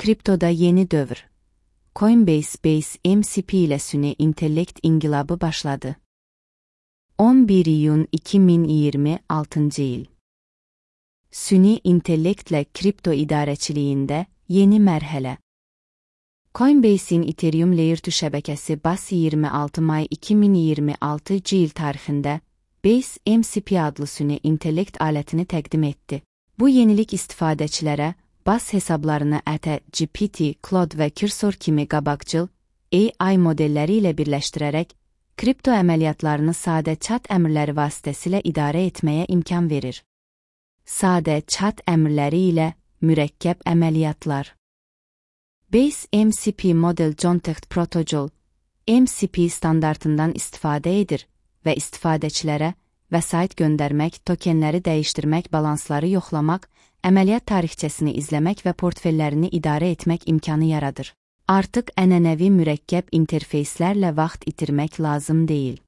Kriptoda yeni dövr. Coinbase Base MCP ile süni intellekt inqilabı başladı. 11 iyun 2026 il. Süni intellektlə kripto idarəçiliyində yeni mərhələ. Coinbase'in Ethereum Layer 2 şəbəkəsi BAS 26 may 2026 il tarixində Base MCP adlı süni intellekt alətini təqdim etdi. Bu yenilik istifadəçilərə BAS hesablarını GPT, Claude və Cursor kimi qabaqcıl AI modelləri ilə birləşdirərək kripto əməliyyatlarını sadə chat əmrləri vasitəsilə idarə etməyə imkan verir. Sadə chat əmrləri ilə mürəkkəb əməliyyatlar. Base MCP Model Context Protocol MCP standartından istifadə edir və istifadəçilərə vəsait göndərmək, tokenləri dəyişdirmək, balansları yoxlamaq, əməliyyat tarixçəsini izləmək və portfellərini idarə etmək imkanı yaradır. Artıq ənənəvi mürəkkəb interfeyslərlə vaxt itirmək lazım deyil.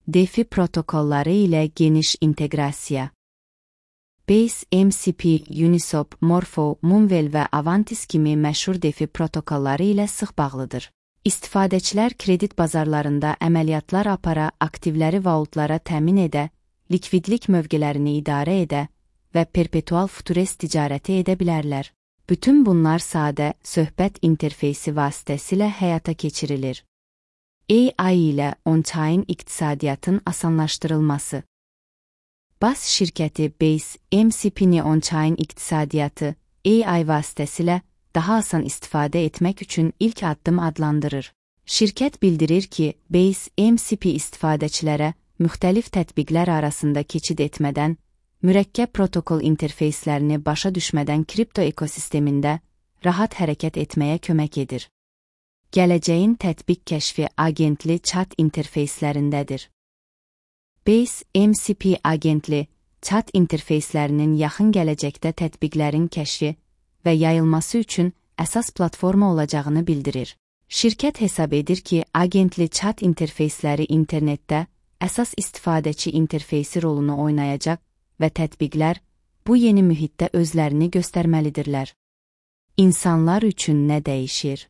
DeFi protokolları ilə geniş inteqrasiya. Base MCP, Uniswap, Morpho, Moonwell və Avantis kimi məşhur DeFi protokolları ilə sıx bağlıdır. İstifadəçilər kredit bazarlarında əməliyyatlar apara, aktivləri vaultlara təmin edə, likvidlik mövqelərini idarə edə və perpetual futures ticarəti edə bilərlər. Bütün bunlar sadə, söhbət interfeysi vasitəsilə həyata keçirilir. AI ilə on-chain iqtisadiyyatın asanlaşdırılması. BAS şirkəti Base MCP-ni on-chain iqtisadiyyatı AI vasitəsilə daha asan istifadə etmək üçün ilk addım adlandırır. Şirkət bildirir ki, Base MCP istifadəçilərə müxtəlif tətbiqlər arasında keçid etmədən, mürəkkəb protokol interfeyslərini başa düşmədən kripto ekosistemində rahat hərəkət etməyə kömək edir. Gələcəyin tətbiq kəşfi agentli chat interfeyslərindədir. Base MCP agentli chat interfeyslərinin yaxın gələcəkdə tətbiqlərin kəşfi və yayılması üçün əsas platforma olacağını bildirir. Şirkət hesab edir ki, agentli chat interfeysləri internetdə əsas istifadəçi interfeysi rolunu oynayacaq və tətbiqlər bu yeni mühitdə özlərini göstərməlidirlər. İnsanlar üçün nə dəyişir?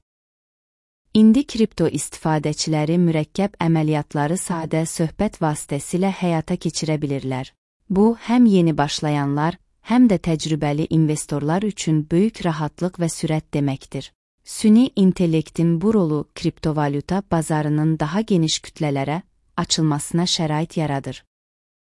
İndi kripto istifadəçiləri mürəkkəb əməliyyatları sadə söhbət vasitəsilə həyata keçirə bilirlər. Bu, həm yeni başlayanlar, həm də təcrübəli investorlar üçün böyük rahatlıq və sürət deməkdir. Süni intellektin bu rolu kriptovalyuta bazarının daha geniş kütlələrə açılmasına şərait yaradır.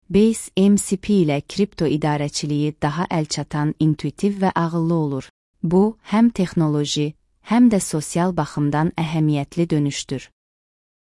Base MCP ilə kripto idarəçiliyi daha əlçatan, intuitiv və ağıllı olur. Bu, həm texnoloji, həm də sosial baxımdan əhəmiyyətli dönüşdür.